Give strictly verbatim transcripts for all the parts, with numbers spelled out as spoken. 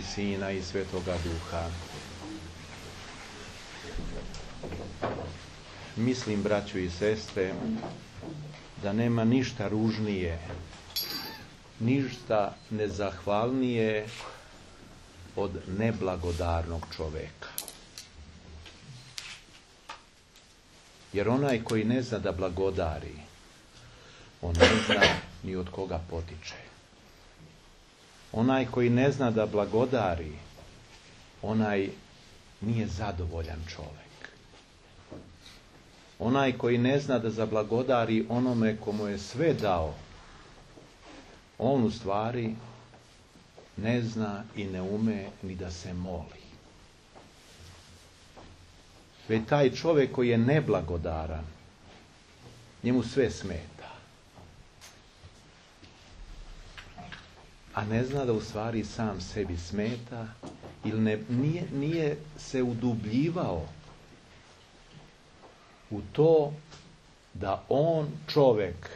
i Sina i Svetoga Duha. Mislim, braćo i sestre, da nema ništa ružnije, ništa nezahvalnije od neblagodarnog čoveka. Jer onaj koji ne zna da blagodari, on ne zna ni od koga potiče. Onaj koji ne zna da blagodari, onaj nije zadovoljan čovjek. Onaj koji ne zna da zablagodari onome komu je sve dao, on u stvari ne zna i ne ume ni da se moli. Već taj čovjek koji je neblagodaran, njemu sve smeta. A ne zna da u stvari sam sebi smeta ili ne, nije, nije se udubljivao u to da on čovjek,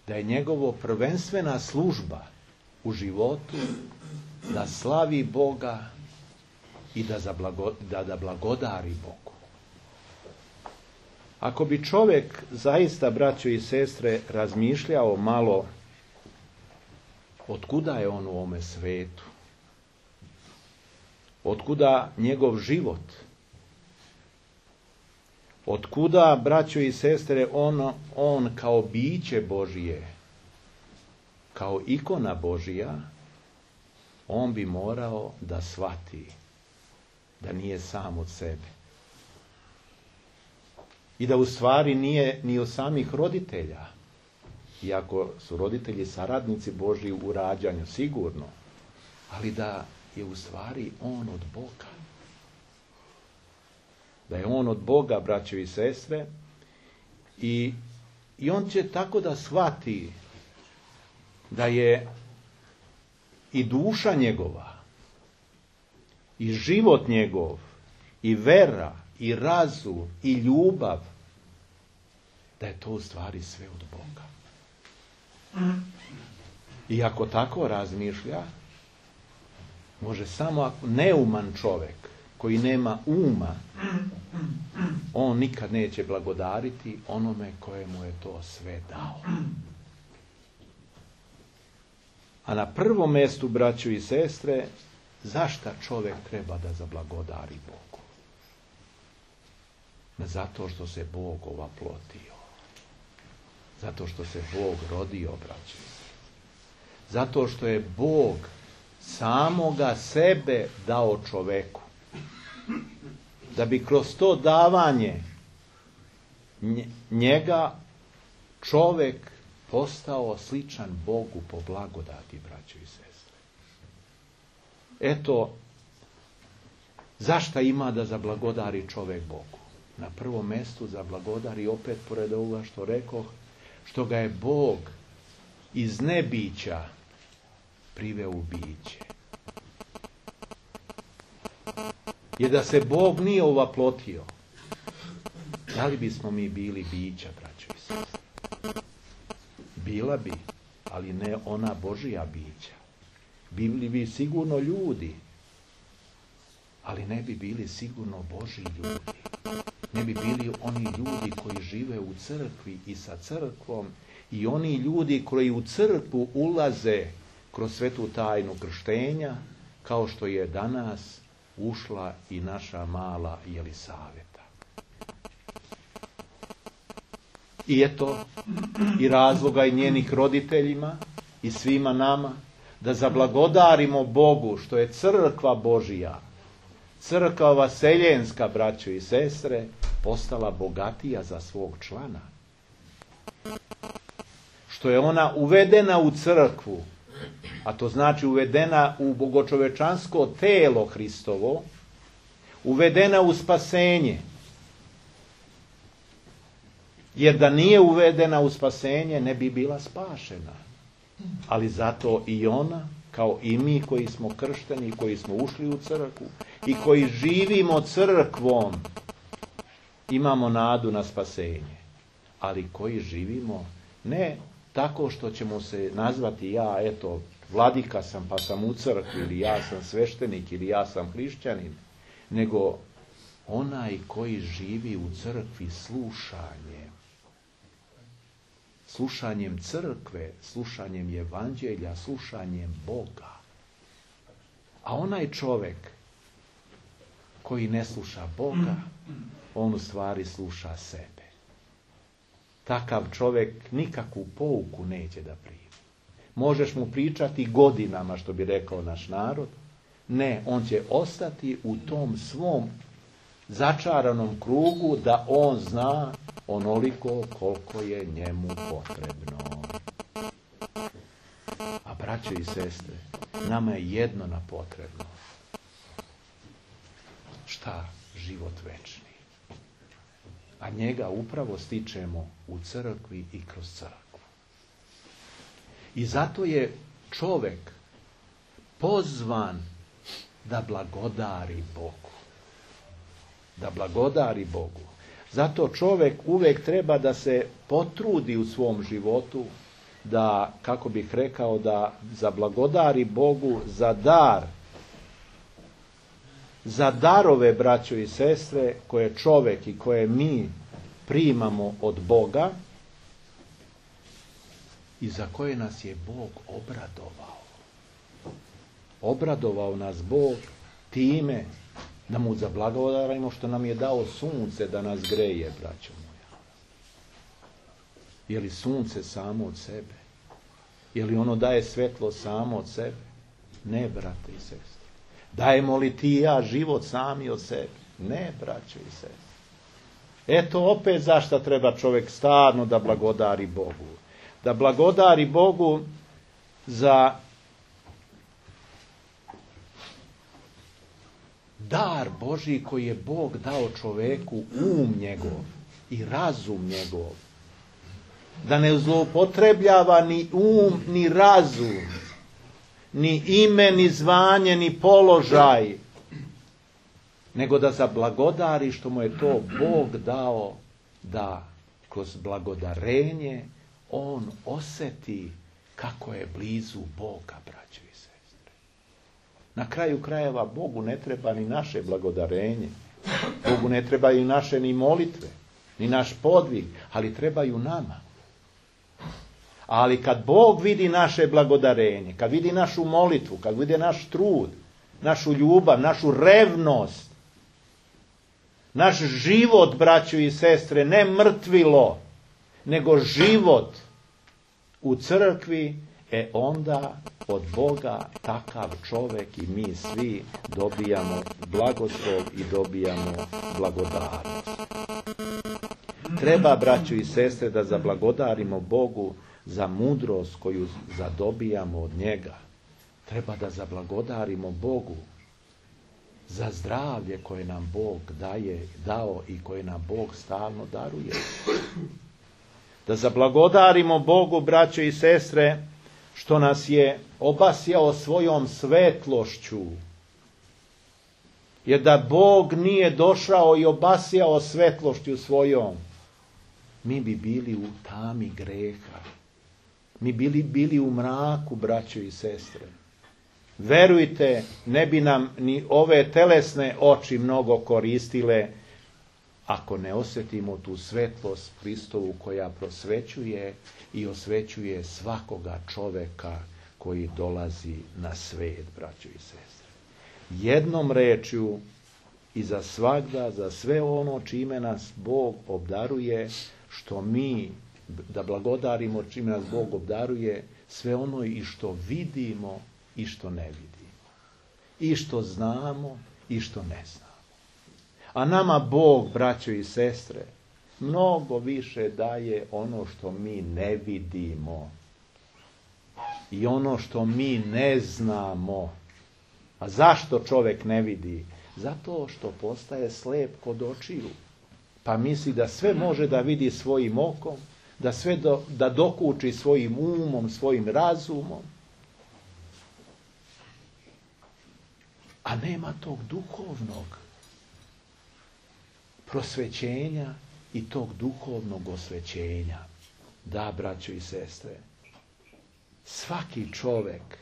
da je njegovo prvenstvena služba u životu da slavi Boga i da, zablago, da, da blagodari Bogu. Ako bi čovjek zaista, braćo i sestre, razmišljao malo otkuda je on u ovome svetu, otkuda njegov život, otkuda, braćo i sestre, on, on kao biće Božije, kao ikona Božija, on bi morao da shvati da nije sam od sebe. I da u stvari nije ni od samih roditelja, iako su roditelji saradnici Božji u rađanju, sigurno, ali da je u stvari on od Boga. Da je on od Boga, braćo i sestre, i, i on će tako da shvati da je i duša njegova, i život njegov, i vera, i razum, i ljubav, da je to u stvari sve od Boga. I ako tako razmišlja, može samo ako neuman čovjek, koji nema uma, on nikad neće blagodariti onome kojemu je to sve dao. A na prvom mjestu, braćo i sestre, zašto čovjek treba da zablagodari Bogu? Zato što se Bog ovaplotio. Zato što se Bog rodio, braćo i sestre. Zato što je Bog samoga sebe dao čoveku. Da bi kroz to davanje njega čovjek postao sličan Bogu po blagodati, braćo i sestre. Eto, zašta ima da zablagodari čovjek Bogu? Na prvom mjestu zablagodari, opet pored ovoga što rekoh, što ga je Bog iz nebića priveo u biće. Jer da se Bog nije ovaplotio, da li bismo mi bili bića, braćo i sestre? Bila bi, ali ne ona Božija bića. Bili bi sigurno ljudi, ali ne bi bili sigurno Božji ljudi. Ne bi bili oni ljudi koji žive u crkvi i sa crkvom i oni ljudi koji u crkvu ulaze kroz svetu tajnu krštenja, kao što je danas ušla i naša mala Jelisaveta. I eto, i razloga i njenih roditeljima i svima nama da zablagodarimo Bogu što je crkva Božija, crkva vaseljenska, braćo i sestre, postala bogatija za svog člana. Što je ona uvedena u crkvu, a to znači uvedena u bogočovečansko telo Hristovo, uvedena u spasenje. Jer da nije uvedena u spasenje, ne bi bila spašena. Ali zato i ona, kao i mi koji smo kršteni, koji smo ušli u crkvu i koji živimo crkvom, imamo nadu na spasenje. Ali koji živimo ne tako što ćemo se nazvati ja, eto, vladika sam pa sam u crkvi, ili ja sam sveštenik, ili ja sam hrišćanin, nego onaj koji živi u crkvi slušanjem. Slušanjem crkve, slušanjem evanđelja, slušanjem Boga. A onaj čovjek koji ne sluša Boga, on u stvari sluša sebe. Takav čovjek nikakvu pouku neće da primi. Možeš mu pričati godinama, što bi rekao naš narod. Ne, on će ostati u tom svom začaranom krugu da on zna onoliko koliko je njemu potrebno. A braćo i sestre, nama je jedno na potrebno. Šta? Život večni. A njega upravo stičemo u crkvi i kroz crkvu. I zato je čovjek pozvan da blagodari Bogu. Da blagodari Bogu. Zato čovjek uvijek treba da se potrudi u svom životu, da, kako bih rekao, da zablagodari Bogu za dar, za darove, braćo i sestre, koje čovjek i koje mi primamo od Boga i za koje nas je Bog obradovao. Obradovao nas Bog time da mu zablagodarimo što nam je dao sunce da nas greje, braćo moja. Je li sunce samo od sebe? Je li ono daje svetlo samo od sebe? Ne, brate i sestre. Dajemo li ti i ja život sami od sebe? Ne, braćo i sestre. Eto opet zašto treba čovjek stalno da blagodari Bogu. Da blagodari Bogu za dar Božji koji je Bog dao čovjeku, um njegov i razum njegov. Da ne zloupotrebljava ni um, ni razum, ni ime, ni zvanje, ni položaj, nego da zablagodari što mu je to Bog dao, da kroz blagodarenje on osjeti kako je blizu Boga, braćo i sestre. Na kraju krajeva Bogu ne treba ni naše blagodarenje, Bogu ne trebaju naše ni molitve, ni naš podvig, ali trebaju nama. Ali kad Bog vidi naše blagodarenje, kad vidi našu molitvu, kad vidi naš trud, našu ljubav, našu revnost, naš život, braćo i sestre, ne mrtvilo, nego život u crkvi, e onda od Boga takav čovjek i mi svi dobijamo blagoslov i dobijamo blagodarnost. Treba, braćo i sestre, da zablagodarimo Bogu za mudrost koju zadobijamo od njega. Treba da zablagodarimo Bogu za zdravlje koje nam Bog daje, dao i koje nam Bog stalno daruje. Da zablagodarimo Bogu, braćo i sestre, što nas je obasjao svojom svetlošću. Jer da Bog nije došao i obasjao svetlošću svojom, mi bi bili u tami greha. Mi bili bili u mraku, braćo i sestre. Verujte, ne bi nam ni ove telesne oči mnogo koristile ako ne osjetimo tu svetlost Hristovu koja prosvećuje i osvećuje svakoga čovjeka koji dolazi na svet, braćo i sestre. Jednom rečju i za svagda, za sve ono čime nas Bog obdaruje, što mi da blagodarimo čime nas Bog obdaruje, sve ono i što vidimo i što ne vidimo. I što znamo i što ne znamo. A nama Bog, braćo i sestre, mnogo više daje ono što mi ne vidimo. I ono što mi ne znamo. A zašto čovjek ne vidi? Zato što postaje slep kod očiju. Pa misli da sve može da vidi svojim okom, da sve do, da dokuči svojim umom, svojim razumom. A nema tog duhovnog prosvećenja i tog duhovnog osvećenja. Da, braćo i sestre, svaki čovjek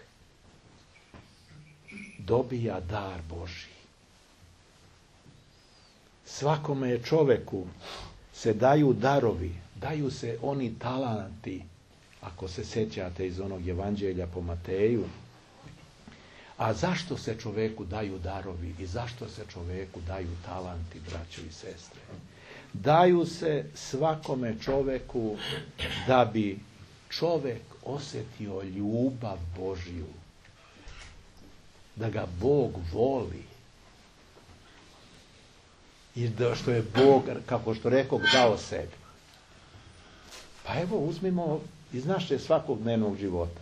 dobija dar Božji. Svakome čoveku se daju darovi, daju se oni talanti, ako se sjećate iz onog evanđelja po Mateju. A zašto se čoveku daju darovi i zašto se čoveku daju talanti, braćo i sestre? Daju se svakome čoveku da bi čovek osjetio ljubav Božju, da ga Bog voli i da što je Bog, kako što rekao, dao sebi. Pa evo, uzmimo iz naše svakodnevnog života.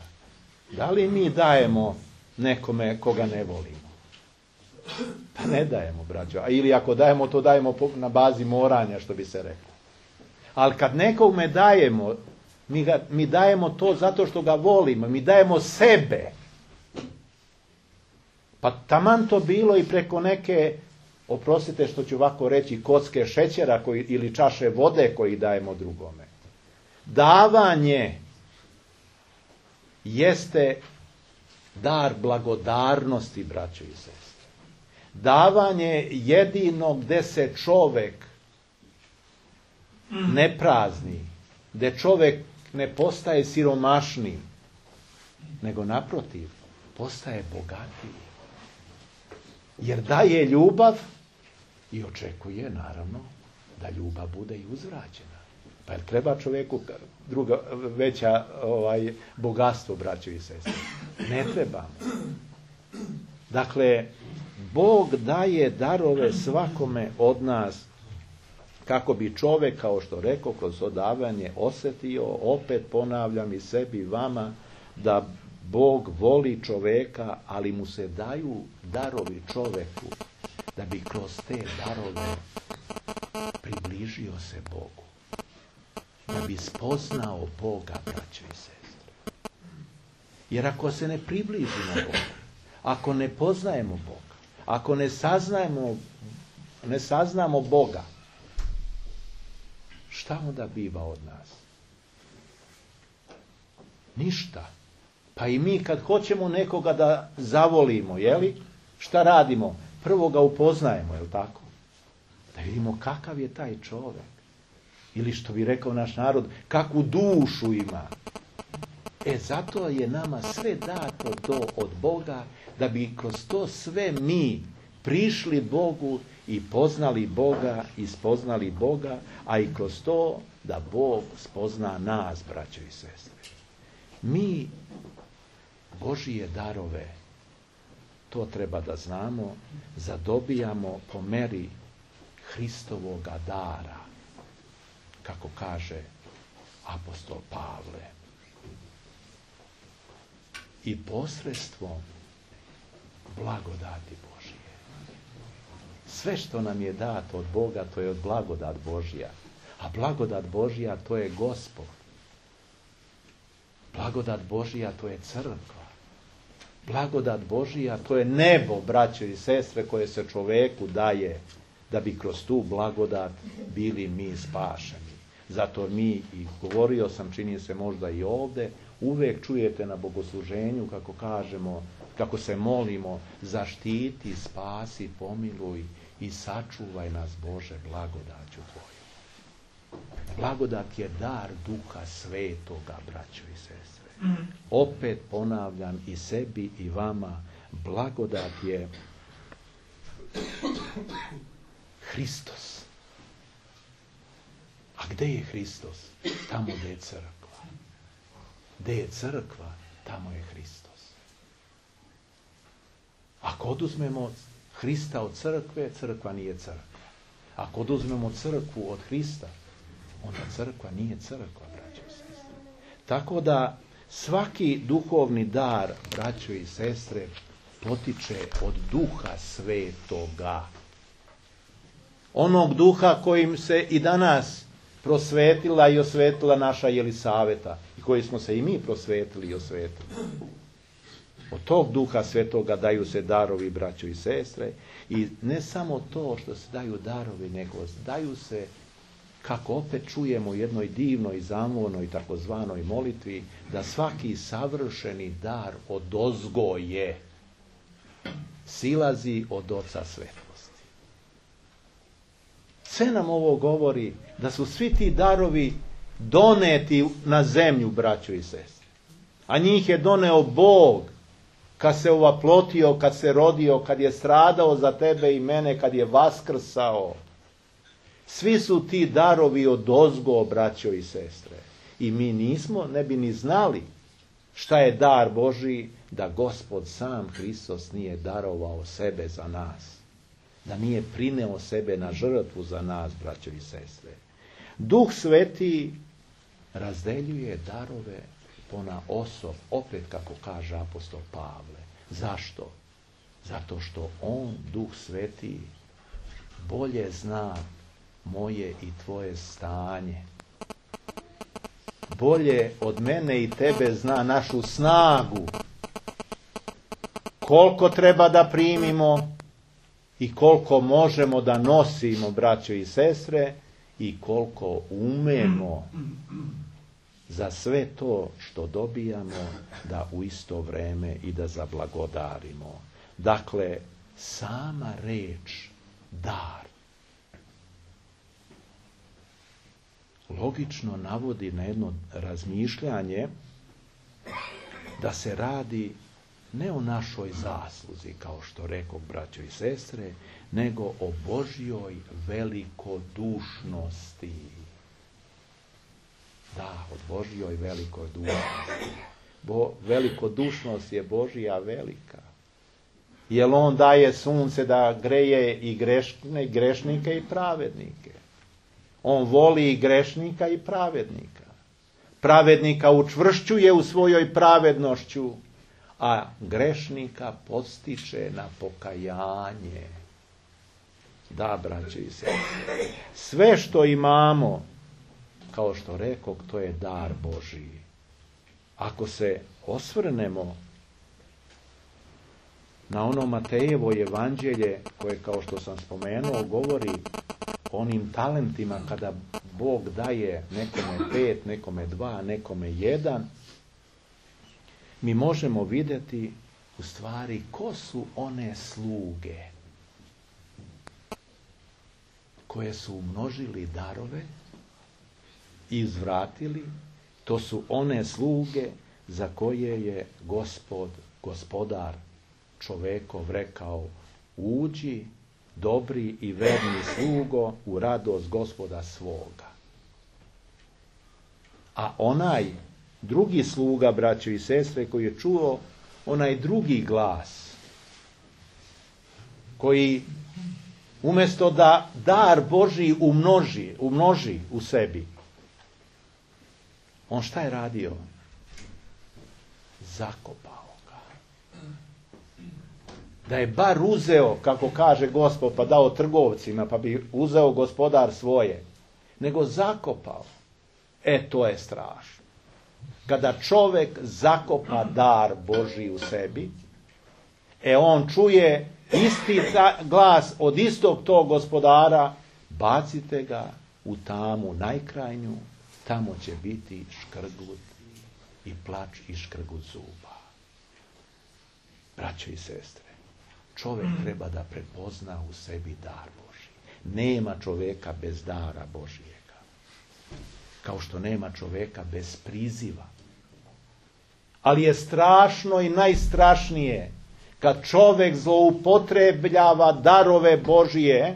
Da li mi dajemo nekome koga ne volimo? Pa ne dajemo, braćo. A ili ako dajemo, to dajemo na bazi moranja, što bi se reklo. Ali kad nekome dajemo, mi, ga, mi dajemo to zato što ga volimo. Mi dajemo sebe. Pa taman to bilo i preko neke, oprostite što ću ovako reći, kocke šećera koji, ili čaše vode koji dajemo drugome. Davanje jeste dar blagodarnosti, braćo i sestre. Davanje jedino gde se čovek ne prazni, gde čovek ne postaje siromašniji, nego naprotiv, postaje bogatiji. Jer daje ljubav i očekuje, naravno, da ljubav bude i uzvraćena. Pa jer treba čovjeku druga, veća ovaj, bogatstvo, braćo i sestre? Ne trebamo. Dakle, Bog daje darove svakome od nas kako bi čovjek, kao što rekao, kroz odavanje osjetio, opet ponavljam i sebi i vama, da Bog voli čovjeka, ali mu se daju darovi čovjeku da bi kroz te darove približio se Bogu. Da bi spoznao Boga, braćo i sestre. Jer ako se ne približimo Bogu, ako ne poznajemo Boga, ako ne saznajemo, ne saznamo Boga, šta onda biva od nas? Ništa. Pa i mi kad hoćemo nekoga da zavolimo, jeli? Šta radimo? Prvo ga upoznajemo, jel tako? Da vidimo kakav je taj čovjek. Ili što bi rekao naš narod, kakvu dušu ima. E, zato je nama sve dato to od Boga, da bi kroz to sve mi prišli Bogu i poznali Boga i spoznali Boga, a i kroz to da Bog spozna nas, braćo i sestre. Mi Božije darove, to treba da znamo, zadobijamo po meri Hristovoga dara, kako kaže apostol Pavle. I posredstvom blagodati Božije. Sve što nam je dato od Boga, to je od blagodat Božja. A blagodat Božja, to je Gospod. Blagodat Božja, to je crkva. Blagodat Božja, to je nebo, braćo i sestre, koje se čoveku daje, da bi kroz tu blagodat bili mi spašeni. Zato mi, i govorio sam, čini se možda i ovdje, uvijek čujete na bogosluženju kako kažemo, kako se molimo, zaštiti, spasi, pomiluj i sačuvaj nas, Bože, blagodaću Tvoju. Blagodat je dar Duha Svetoga, braćo i sestre. Opet ponavljam i sebi i vama, blagodat je Hristos. A gde je Hristos? Tamo gde je crkva. Gde je crkva, tamo je Hristos. Ako oduzmemo Hrista od crkve, crkva nije crkva. Ako oduzmemo crkvu od Hrista, onda crkva nije crkva, braćo i sestre. Tako da svaki duhovni dar, braćo i sestre, potiče od Duha Svetoga. Onog duha kojim se i danas prosvetila i osvetila naša Jelisaveta i koji smo se i mi prosvetili i osvetili. Od tog Duha Svetoga daju se darovi, braćo i sestre, i ne samo to što se daju darovi, nego daju se, kako opet čujemo u jednoj divnoj zamornoj takozvanoj molitvi, da svaki savršeni dar odozgo je. silazi od Oca svetlosti. Sve nam ovo govori da su svi ti darovi doneti na zemlju, braćo i sestre. A njih je doneo Bog kad se ovaplotio, kad se rodio, kad je stradao za tebe i mene, kad je vaskrsao. Svi su ti darovi odozgo, braćo i sestre. I mi nismo, ne bi ni znali šta je dar Božiji da Gospod sam Hristos nije darovao sebe za nas. Da nije prineo sebe na žrtvu za nas, braćo i sestre. Duh Sveti razdeljuje darove ponaosob, opet kako kaže apostol Pavle. Zašto? Zato što on, Duh Sveti, bolje zna moje i tvoje stanje. Bolje od mene i tebe zna našu snagu. Koliko treba da primimo i koliko možemo da nosimo, braćo i sestre, i koliko umemo za sve to što dobijamo da u isto vreme i da zablagodarimo. Dakle, sama reč dar logično navodi na jedno razmišljanje da se radi ne o našoj zasluzi, kao što rekoh, braćo i sestre, nego o Božjoj velikodušnosti. Da, o Božjoj velikodušnosti. Bo, velikodušnost je Božja velika. Jer on daje sunce da greje i grešne, grešnike i pravednike. On voli i grešnika i pravednika. Pravednika učvršćuje u svojoj pravednošću, a grešnika podstiče na pokajanje. Da, braće i sestre, sve što imamo, kao što rekoh, to je dar Božiji. Ako se osvrnemo na ono Matejevo evanđelje, koje, kao što sam spomenuo, govori o onim talentima kada Bog daje nekome pet, nekome dva, nekome jedan, mi možemo vidjeti u stvari ko su one sluge koje su umnožili darove i izvratili. To su one sluge za koje je Gospod, gospodar čovekov rekao: uđi, dobri i verni slugo, u radost Gospoda svoga. A onaj drugi sluga, braćo i sestre, koji je čuo onaj drugi glas, koji umjesto da dar Božji umnoži, umnoži u sebi, on šta je radio? Zakopao ga. Da je bar uzeo, kako kaže Gospod, pa dao trgovcima, pa bi uzeo gospodar svoje, nego zakopao. E, to je strašno. Kada čovjek zakopa dar Božji u sebi, e on čuje isti glas od istog tog gospodara: bacite ga u tamu najkrajnju, tamo će biti škrgut i plač i škrgut zuba. Braćo i sestre, čovjek treba da prepozna u sebi dar Božji. Nema čovjeka bez dara Božijega. Kao što nema čovjeka bez priziva. Ali je strašno i najstrašnije kad čovjek zloupotrebljava darove Božije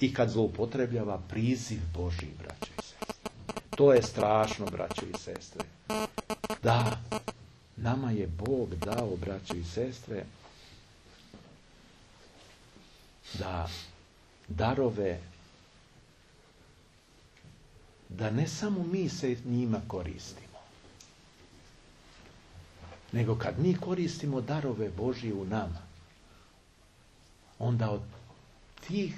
i kad zloupotrebljava priziv Božji, braćo i sestre. To je strašno, braćo i sestre. Da, nama je Bog dao, braćo i sestre, da darove, da ne samo mi se njima koristimo, nego kad mi koristimo darove Božje u nama, onda od tih,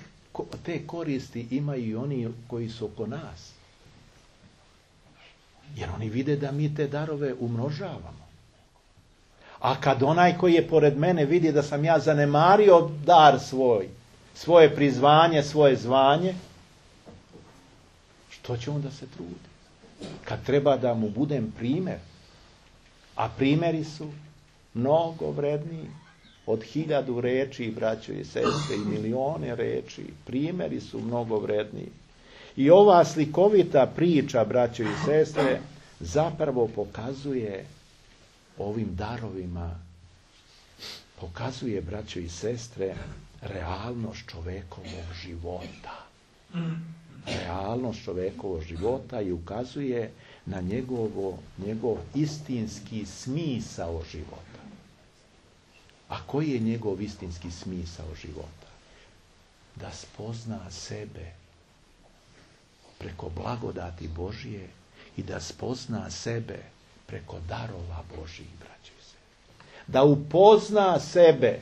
te koristi imaju i oni koji su oko nas. Jer oni vide da mi te darove umnožavamo. A kad onaj koji je pored mene vidi da sam ja zanemario dar svoj, svoje prizvanje, svoje zvanje, što će on da se trudi? Kad treba da mu budem primjer, a primjeri su mnogo vredniji. od hiljadu reči, braćo i sestre, i milione reči. Primjeri su mnogo vredniji. I ova slikovita priča, braćo i sestre, zapravo pokazuje ovim darovima, pokazuje, braćo i sestre, realnost čovekovog života. Realnost čovekovog života i ukazuje na njegovo, njegov istinski smisao života. A koji je njegov istinski smisao života? Da spozna sebe preko blagodati Božije i da spozna sebe preko darova Božijih, braćo i sestre. Da upozna sebe.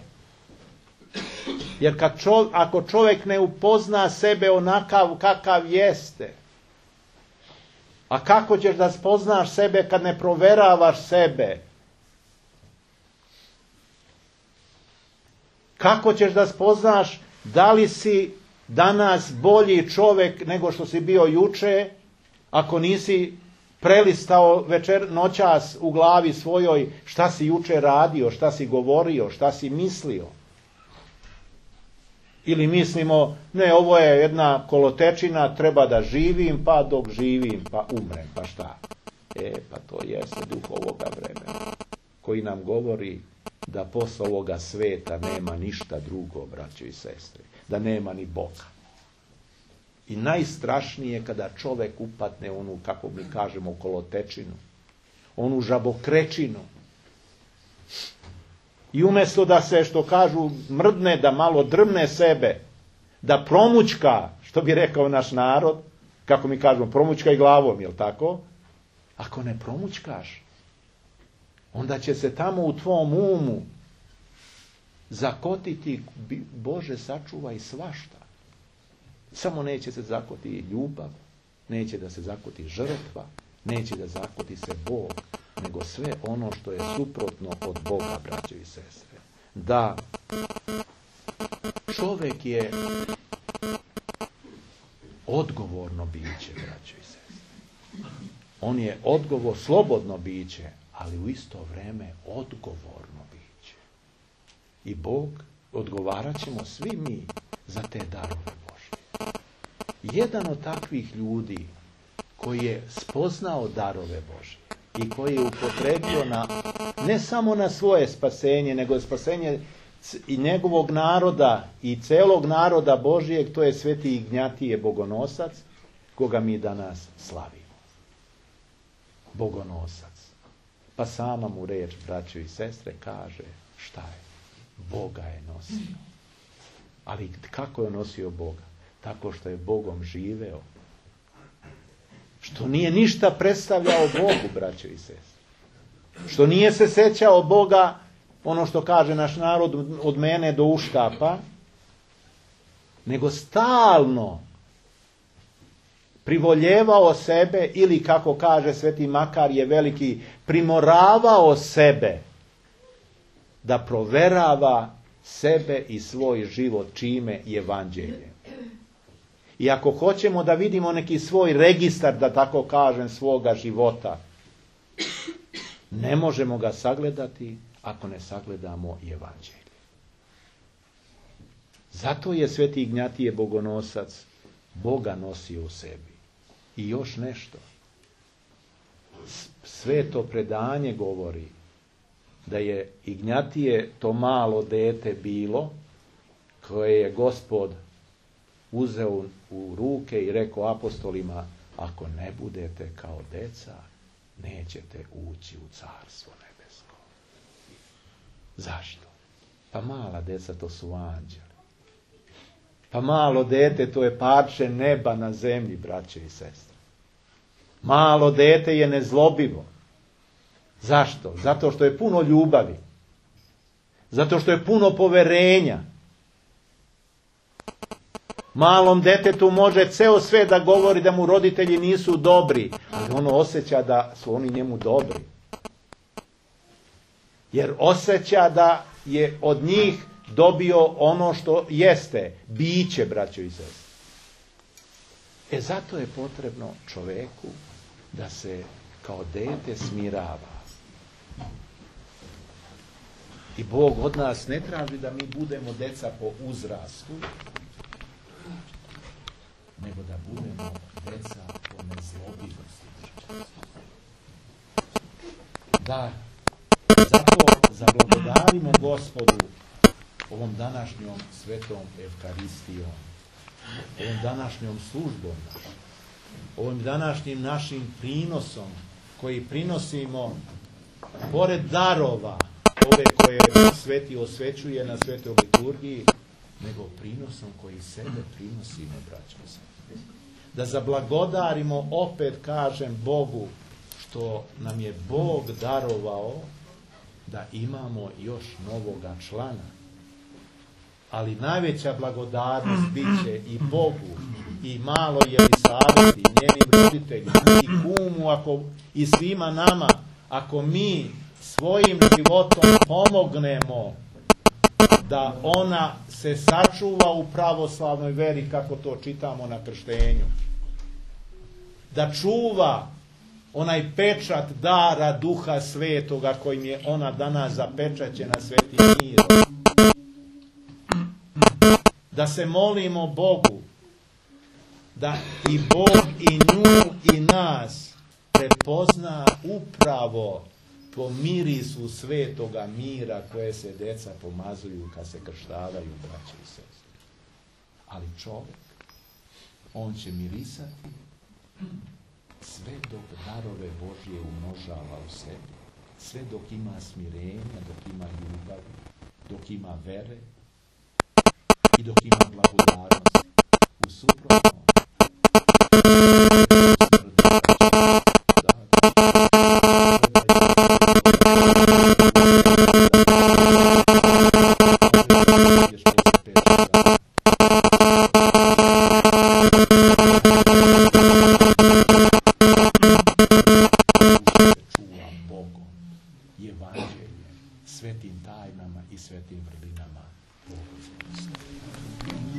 Jer kad čov, ako čovjek ne upozna sebe onakav kakav jeste, a kako ćeš da spoznaš sebe kad ne proveravaš sebe? Kako ćeš da spoznaš da li si danas bolji čovjek nego što si bio juče, ako nisi prelistao večer, noćas u glavi svojoj šta si juče radio, šta si govorio, šta si mislio? Ili mislimo, ne, ovo je jedna kolotečina, treba da živim, pa dok živim, pa umrem, pa šta? E, pa to jeste duh ovoga vremena, koji nam govori da posle ovoga sveta nema ništa drugo, braćo i sestre, da nema ni Boga. I najstrašnije kada čovjek upadne onu, kako mi kažemo, kolotečinu, onu žabokrečinu. I umjesto da se, što kažu, mrdne, da malo drmne sebe, da promućka, što bi rekao naš narod, kako mi kažemo, promućkaj glavom, jel tako? Ako ne promućkaš, onda će se tamo u tvom umu zakotiti, Bože sačuvaj, svašta. Samo neće se zakoti ljubav, neće da se zakoti žrtva, neće da zakoti se Bog, nego sve ono što je suprotno od Boga, braćo i sestre. Da čovjek je odgovorno biće, braćo i sestre. On je odgovor, slobodno biće, ali u isto vrijeme odgovorno biće. I Bog, odgovarat ćemo svi mi za te darove Božje. Jedan od takvih ljudi koji je spoznao darove Božje i koji je upotrebio na, ne samo na svoje spasenje, nego spasenje i njegovog naroda i celog naroda Božijeg, to je sveti Ignjatije Bogonosac, koga mi danas slavimo. Bogonosac. Pa sama mu reč, braćo i sestre, kaže šta je? Boga je nosio. Ali kako je nosio Boga? Tako što je Bogom živeo. Što nije ništa predstavljao Bogu, braćo i sestre. Što nije se sećao Boga, ono što kaže naš narod, od mene do uštapa, nego stalno privoljevao sebe, ili kako kaže sveti Makar je veliki, primoravao sebe da proverava sebe i svoj život čime je evanđelje. I ako hoćemo da vidimo neki svoj registar, da tako kažem, svoga života, ne možemo ga sagledati ako ne sagledamo i evanđelje. Zato je sveti Ignjatije Bogonosac Boga nosio u sebi. I još nešto. Sveto predanje govori da je Ignjatije to malo dete bilo, koje je Gospod uzeo u ruke i rekao apostolima, ako ne budete kao deca, nećete ući u carstvo nebesko. Zašto? Pa mala deca, to su anđeli. Pa malo dete, to je parče neba na zemlji, braće i sestre. Malo dete je nezlobivo. Zašto? Zato što je puno ljubavi. Zato što je puno poverenja. Malom detetu može ceo sve da govori da mu roditelji nisu dobri, ali ono osjeća da su oni njemu dobri. Jer osjeća da je od njih dobio ono što jeste, biće, braćo i sestre. E zato je potrebno čoveku da se kao dete smirava. I Bog od nas ne traži da mi budemo deca po uzrastu, nego da budemo deca po nezlobivosti. Da, zato zablagodarimo Gospodu ovom današnjom svetom Evkaristijom, ovom današnjom službom, ovim današnjim našim prinosom koji prinosimo pored darova ove koje sveti osvećuje na svetoj liturgiji, nego prinosom koji sebe prinosimo, braćo. Da zablagodarimo, opet kažem, Bogu što nam je Bog darovao da imamo još novoga člana. Ali najveća blagodarnost bit će i Bogu, i maloj Jelisaveti, i njenim roditeljima, i kumu, ako, i svima nama, ako mi svojim životom pomognemo da ona se sačuva u pravoslavnoj veri, kako to čitamo na krštenju. Da čuva onaj pečat dara Duha Svetoga kojim je ona danas zapečaćena svetim mirom. Da se molimo Bogu da i Bog i nju i nas prepozna upravo po mirisu svetoga mira koje se deca pomazuju kad se krštavaju, braće i sestre. Ali čovjek, on će mirisati sve dok darove Božje umnožava u sebi, sve dok ima smirenja, dok ima ljubavi, dok ima vere i dok ima blagodarnost. U suprotnom, svetim tajnama i svetim vrlinama Boga.